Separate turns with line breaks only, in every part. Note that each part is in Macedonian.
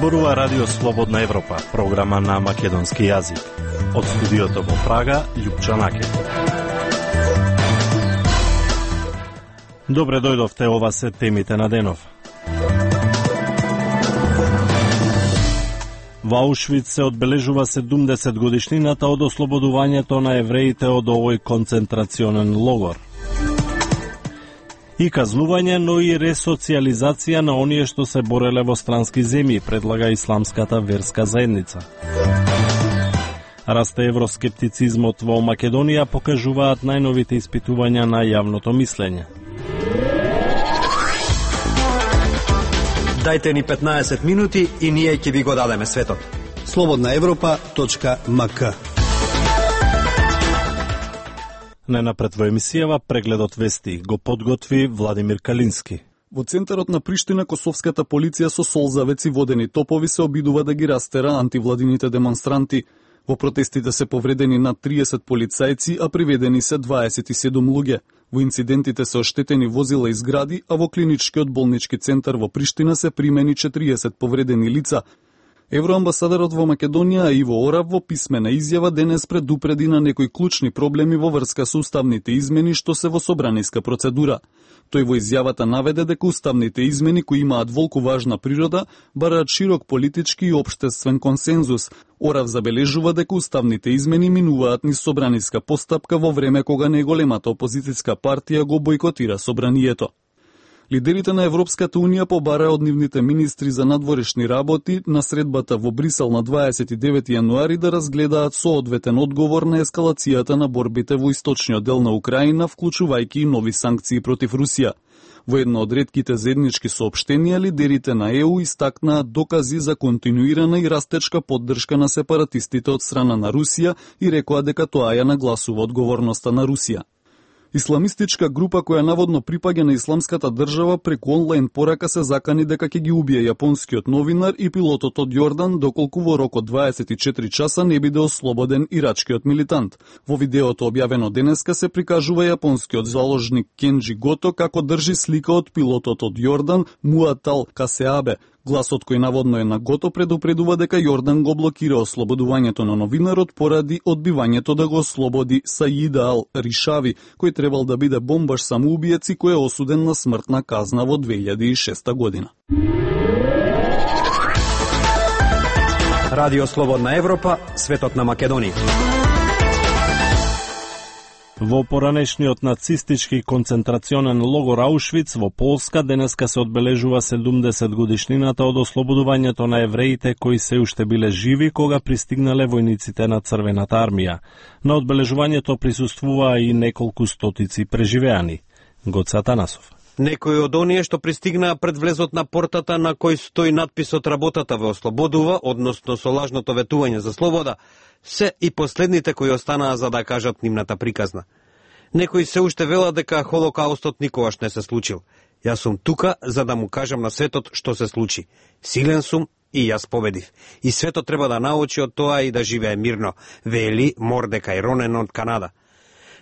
Зборува Радио Слободна Европа, програма на македонски јазик. Од студиото во Прага, Љупча Наке. Добре дојдовте, ова се темите на денов. Во Аушвиц се одбележува 70 годишнината од ослободувањето на евреите од овој концентрационен логор. И казнување, но и ресоциализација на оние што се бореле во странски земји, предлага исламската верска заедница. Расте евроскептицизмот во Македонија, покажуваат најновите испитувања на јавното мислење.
Дајте ни 15 минути и ние ќе ви го дадеме светот.
slobodnaevropa.mk.
Најнапред во емисијава прегледот вести го подготви Владимир Калински.
Во центарот на Приштина косовската полиција со солзавеци водени топови се обидува да ги растера антивладините демонстранти. Во протестите се повредени над 30 полицајци, а приведени се 27 луѓе. Во инцидентите се оштетени возила и згради, а во клиничкиот болнички центар во Приштина се примени 40 повредени лица. Евроамбасадорот во Македонија Иво Орав во писмена изјава денес предупреди на некои клучни проблеми во врска со уставните измени што се во собраниска процедура. Тој во изјавата наведе дека уставните измени кои имаат волку важна природа бараат широк политички и општествен консензус. Орав забележува дека уставните измени минуваат низ собраниска постапка во време кога најголемата опозицијска партија го бојкотира собранието. Лидерите на Европската Унија побараа од нивните министри за надворешни работи на средбата во Брисел на 29 јануари да разгледаат соодветен одговор на ескалацијата на борбите во источниот дел на Украина, вклучувајќи и нови санкции против Русија. Во едно од ретките заеднички соопштенија, лидерите на ЕУ истакнаат докази за континуирана и растечка поддршка на сепаратистите од страна на Русија и рекоа дека тоа ја нагласува одговорноста на Русија. Исламистичка група која наводно припаѓа на исламската држава преку онлайн порака се закани дека ќе ги убие јапонскиот новинар и пилотот од Јордан доколку во рок од 24 часа не биде ослободен ирачкиот милитант. Во видеото објавено денеска се прикажува јапонскиот заложник Кенджи Гото како држи слика од пилотот од Јордан Муатал Касеабе. Гласот кој наводно е на Гото предупредува дека Јордан го блокира ослободувањето на новинарот поради одбивањето да го ослободи Саида Ал Ришави, кој требал да биде бомбаш самоубиец и кој е осуден на смртна казна во 2006 година.
Радио Слободна Европа, светот на Македонија.
Во поранешниот нацистички концентрационен логор Аушвиц во Полска денеска се одбележува 70 годишнината од ослободувањето на евреите кои се уште биле живи кога пристигнале војниците на Црвената армија. На одбележувањето присуствуваа и неколку стотици преживеани. Гоце Атанасов.
Некои од оние што пристигнаа пред влезот на портата на кој стои надписот "Работата ве ослободува", односно со лажното ветување за слобода, се и последните кои останаа за да кажат нивната приказна. Некои се уште велат дека Холокаустот никогаш не се случил. Јас сум тука за да му кажам на светот што се случи. Силен сум и јас победив. И светот треба да научи од тоа и да живее мирно, вели Мордекај Ронен од Канада.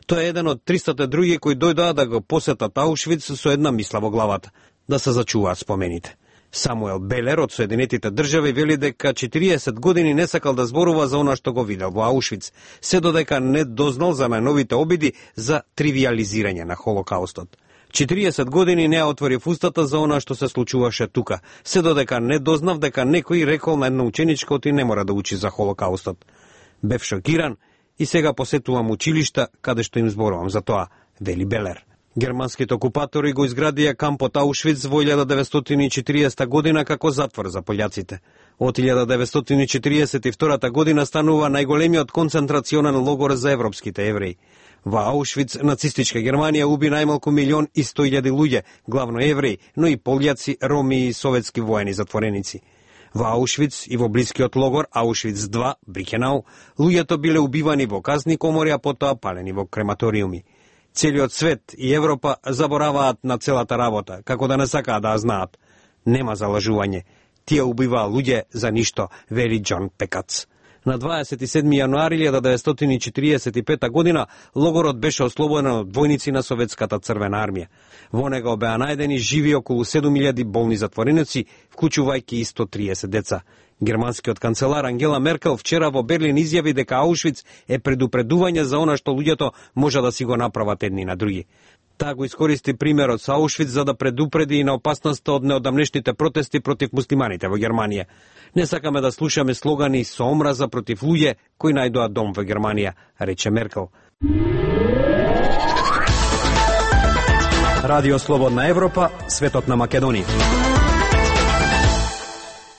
Тој е еден од 300 други кои дојдоа да го посетат Аушвиц со една мисла во главата – да се зачуваат спомените. Самуел Белер од Соединетите држави вели дека 40 години не сакал да зборува за она што го видел во Аушвиц, се додека не дознал за најновите обиди за тривиализирање на Холокаустот. 40 години не отворив устата за она што се случуваше тука, се додека не дознав дека некој рекол на една ученичка оти не мора да учи за Холокаустот. Бев шокиран и сега посетувам училишта каде што им зборувам за тоа, вели Белер. Германските окупатори го изградија кампот Аушвиц во 1940 година како затвор за пољаците. Од 1942 година станува најголемиот концентрационен логор за европските евреи. Во Аушвиц нацистичка Германија уби најмалку 1.100.000 луѓе, главно евреи, но и пољаци, роми и советски воени затвореници. Во Аушвиц и во блискиот логор Аушвиц 2, Брикенау, луѓето биле убивани во казни комори, а потоа палени во крематориуми. Целиот свет и Европа забораваат на целата работа, како да не сакаат да знаат. Нема залажување. Тие убиваа луѓе за ништо, вели Џон Пекац. На 27. јануари 1945 година логорот беше ослободен од војници на Советската црвена армија. Во него беа најдени живи околу 7000 болни затвореници, вклучувајќи и 130 деца. Германскиот канцелар Ангела Меркел вчера во Берлин изјави дека Аушвиц е предупредување за она што луѓето може да си го направат едни на други. Таа го искористи примерот со Аушвиц за да предупреди и на опасноста од неодамнешните протести против муслиманите во Германија. Не сакаме да слушаме слогани со омраза против луѓе кои најдоа дом во Германија, рече Меркел. Радио Слободна Европа, светот на Македонија.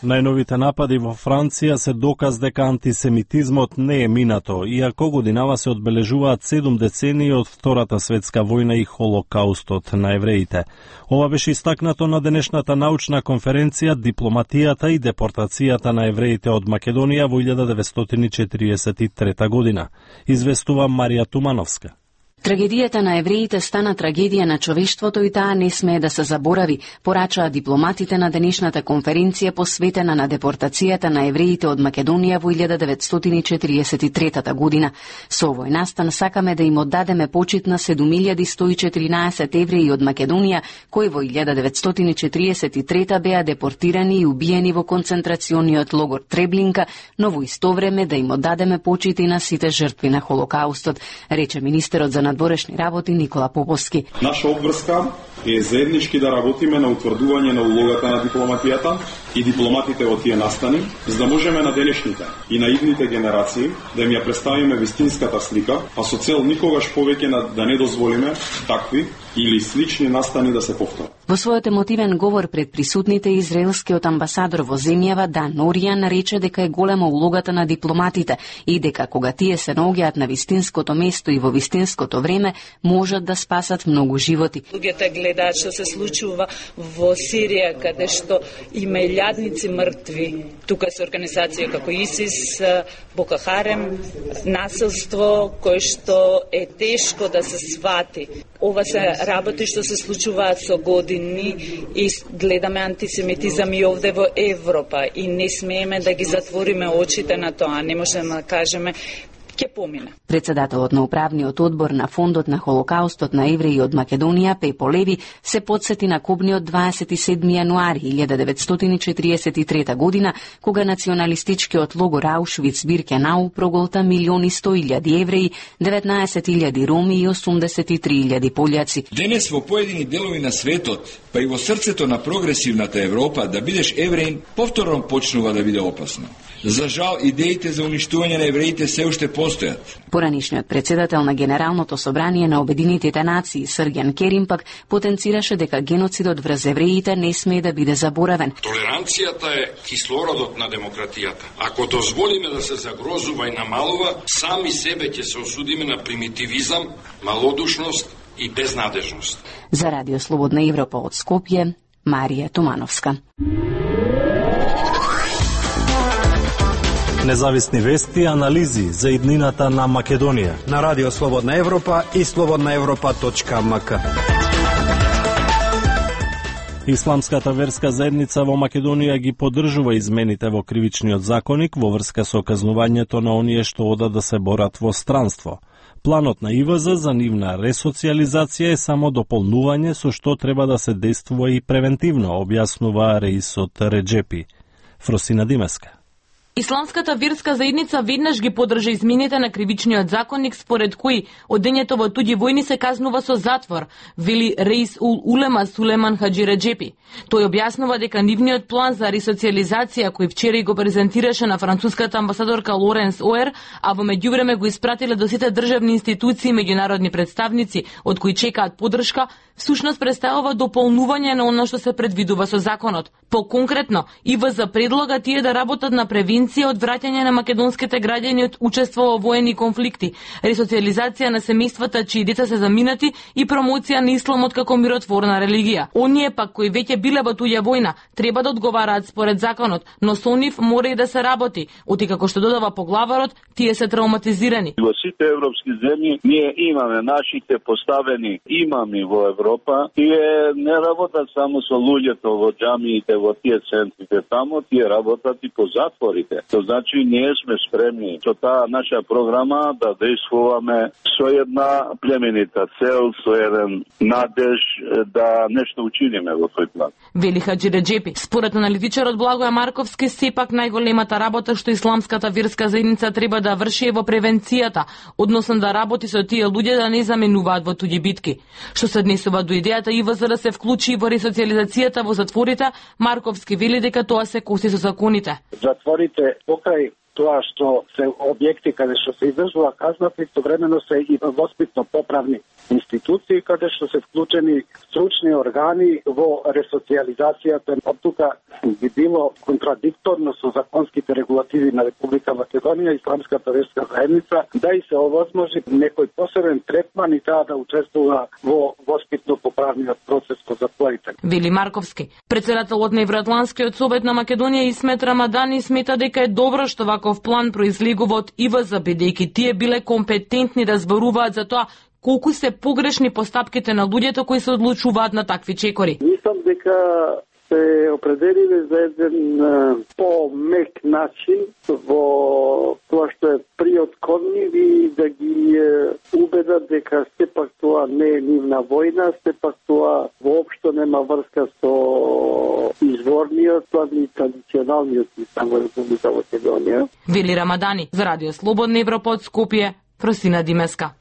Најновите напади во Франција се доказ дека антисемитизмот не е минато, иако годинава се одбележуваат 7 децении од Втората светска војна и Холокаустот на евреите. Ова беше истакнато на денешната научна конференција Дипломатијата и депортацијата на евреите од Македонија во 1943 година. Известува Марија Тумановска.
Трагедијата на евреите стана трагедија на човештвото и таа не смее да се заборави, порачаа дипломатите на денешната конференција посветена на депортацијата на евреите од Македонија во 1943 година. Со овој настан сакаме да им оддадеме почит на 7114 евреи од Македонија, кои во 1943 беа депортирани и убиени во концентрациониот логор Треблинка, но во исто време да им оддадеме почит и на сите жртви на Холокаустот, рече министерот за надворешни работи Никола Поповски.
Наша обврска е заеднички да работиме на утврдување на улогата на дипломатијата и дипломатите во тие настани, за да можеме на денешните и на идните генерации да им ја представиме вистинската слика, а со цел никогаш повеќе да не дозволиме такви или слични настани да се повторат.
Во својот емотивен говор пред присутните, израелскиот амбасадор во земјава Дан Оријан рече дека е голема улогата на дипломатите и дека кога тие се наоѓаат на вистинското место и во вистинското време, можат да спасат многу животи.
Луѓето гледаат што се случува во Сирија, каде што има илјадници мртви. Тука се организација како ИСИС, Боко Харем, насилство кој што е тешко да се свати. Ова се работи што се случуваат со години и гледаме антисемитизам и овде во Европа и не смееме да ги затвориме очите на тоа. Не можеме да кажеме ќе помине.
Председателот на управниот одбор на Фондот на Холокаустот на евреи од Македонија, Пепо Леви, се подсети на кобниот 27. јануари 1943 година, кога националистичкиот логор Аушвиц-Биркенау проголта 1.100.000 евреи, 19.000 роми и 83.000 полјаци.
Денес во поедини делови на светот, па и во срцето на прогресивната Европа, да бидеш евреин повторно почнува да биде опасно. За жал, идеите за уништување на евреите се уште постојат.
Поранишниот председател на Генералното собрание на Обединетите нации, Сргјан Керим, пак потенцираше дека геноцидот врз евреите не смее да биде заборавен.
Толеранцијата е кислородот на демократијата. Ако дозволиме да се загрозува и намалува, сами себе ќе се осудиме на примитивизам, малодушност и безнадежност.
За Радио Слободна Европа од Скопје, Марија Тумановска.
Независни вести и анализи за иднината на Македонија.
На Радио Слободна Европа и slobodnaevropa.mk.
Исламската верска заедница во Македонија ги поддржува измените во кривичниот законник во врска со казнувањето на оние што одат да се борат во странство. Планот на ИВЗ за нивна ресоциализација е само дополнување со што треба да се действува и превентивно, објаснува Реисот Реджепи. Фросина Димеска.
Исламската верска заедница веднаш ги поддржа измените на кривичниот законник според кои одењето во туѓи војни се казнува со затвор, вели Реис ул Улема Сулеман Хаджи Реджепи. Тој објаснува дека нивниот план за ресоциализација кој вчера го презентираше на француската амбасадорка Лоренс Оер, а во меѓувреме го испратиле до сите државни институции и меѓународни представници од кои чекаат поддршка, всушност представува дополнување на оно што се предвидува со законот. По-конкретно, ИВЗ предлога тие да работат на превенција од враќање на македонските граѓани од учество во воени конфликти, ресоциализација на семејствата чии деца се заминати и промоција на исламот како миротворна религија. Оние пак кои веќе биле во туѓа војна треба да одговараат според законот, но со нив мора и да се работи, оти како што додава поглаварот, тие се травматизирани.
Во сите европски земји ние имаме нашите поставени имами во Европа, тие не работат само со луѓето во џамиите, во тие центрите, тамо тие работат и по затворите. границите. То значи ние сме спремни со таа наша програма да действуваме со една племенита цел, со еден надеж да нешто учиниме во тој план.
Вели Хаджи Реджепи. Според аналитичарот Благоја Марковски, сепак најголемата работа што исламската верска заедница треба да врши е во превенцијата, односно да работи со тие луѓе да не заменуваат во туѓи битки. Што се однесува до идејата ИВЗ да се вклучи во ресоциализацијата во затворите, Марковски вели дека тоа се коси со законите.
Затворите покрај тоа што се објекти каде што се издржува казна, истовремено се и воспитно поправни институции каде што се вклучени стручни органи во ресоциализацијата. Од тука би било контрадикторно со законските регулативи на Република Македонија и исламската верска заедница да и се овозможи некој посебен третман и таа да учествува во воспитно поправниот процес во затворите.
Вели Марковски. Председателот на Евроатланскиот совет на Македонија Исмет Рамадани смета дека е добро што ваков план произлегува од ИВЗ, бидејќи тие биле компетентни да зборуваат за тоа колку се погрешни постапките на луѓето кои се одлучуваат на такви чекори.
Мислам дека се определиле за еден по-мек начин во тоа што е приотконив и да ги убедат дека сепак тоа не е нивна војна, сепак тоа воопшто нема врска со изворниот план и традиционалниот план во Република Македонија.
Вели Рамадани за Радио Слободна Европа од Скопје, Просина Димеска.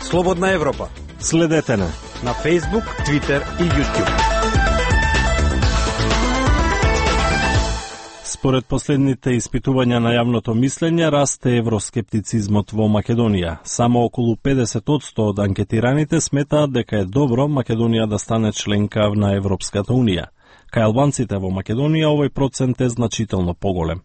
Слободна Европа.
Следете на
Facebook, Twitter и YouTube.
Според последните испитувања на јавното мислење, расте евроскептицизмот во Македонија. Само околу 50% од анкетираните сметаат дека е добро Македонија да стане членка на Европската Унија. Кај албанците во Македонија овој процент е значително поголем.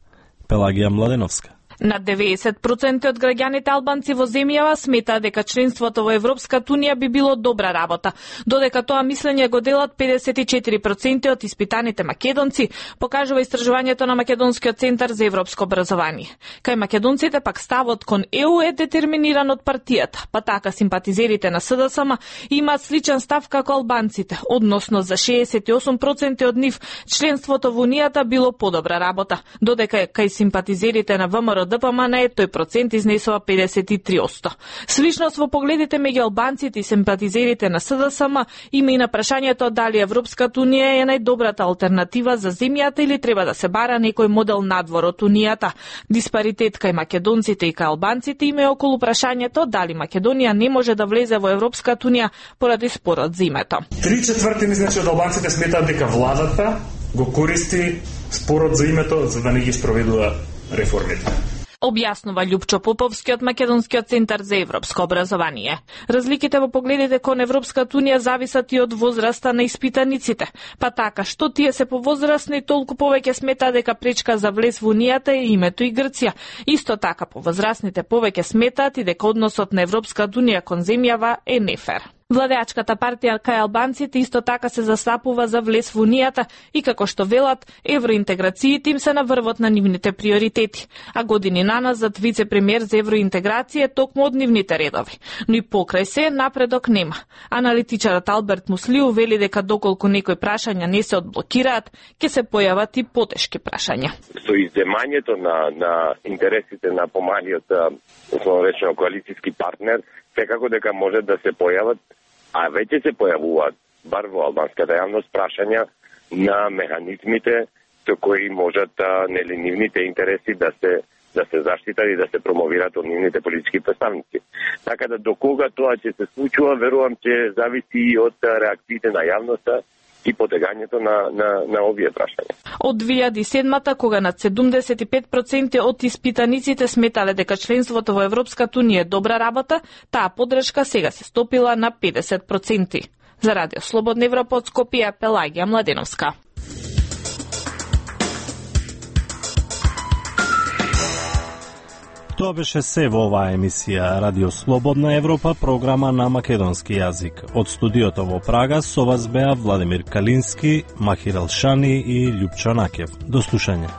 Пелагија Младеновска.
Над 90% од граѓаните албанци во земјава сметаат дека членството во Европската Унија би било добра работа, додека тоа мислење го делат 54% од испитаните македонци, покажува истражувањето на Македонскиот центар за европско образование. Кај македонците пак ставот кон ЕУ е детерминиран од партијата, па така симпатизерите на СДСМ имаат сличен став како албанците, односно за 68% од нив членството во Унијата било подобра работа, додека кај симпатизерите на ВМРО ДПМН тој процент изнесува 53%. Сличност во погледите меѓу албанците и симпатизерите на СДСМ има и на прашањето дали Европската Унија е најдобрата алтернатива за земјата или треба да се бара некој модел надвор од Унијата. Диспаритет кај македонците и кај албанците има и околу прашањето дали Македонија не може да влезе во Европската Унија поради спорот за името.
3/4 значи од албанците сметаат дека владата го користи спорот за името за да не ги спроведува реформите.
Објаснува Љупчо Поповски од Македонскиот центар за европско образование. Разликите во погледите кон Европската Унија зависат и од возраста на испитаниците. Па така, што тие се повозрастни, толку повеќе смета дека пречка за влез во Унијата е името и Грција. Исто така, повозрастните повеќе сметаат и дека односот на Европската Унија кон земјава е нефер. Владеачката партија кај албанците исто така се застапува за влез во Унијата и како што велат, евроинтеграциите им се на врвот на нивните приоритети, а години наназад вице-премиер за евроинтеграција е токму од нивните редови. Но и покрај се напредок нема. Аналитичарот Алберт Муслиу вели дека доколку некои прашања не се одблокираат, ќе се појават и потешки прашања.
Со издемањето на интересите на помалиот, условно речено, коалицијски партнер, секако дека може да се појават, а веќе се појавуваат, бар во албанската јавност, прашања на механизмите со кои можат нивните интереси да се заштитат и да се промовираат од нивните политички представници. Така да докога тоа ќе се случува, верувам ќе зависи и од реакциите на јавноста и потегањето на овие прашања.
Од 2007-та, кога над 75% од испитаниците сметале дека членството во Европската Унија е добра работа, таа подршка сега се стопила на 50%. За Радио Слободна Европа од Скопје, Пелагија Младеновска.
Тоа беше се во оваа емисија Радио Слободна Европа, програма на македонски јазик. Од студиото во Прага со вас беа Владимир Калински, Махир Елшани и Љупчо Накев. До слушање.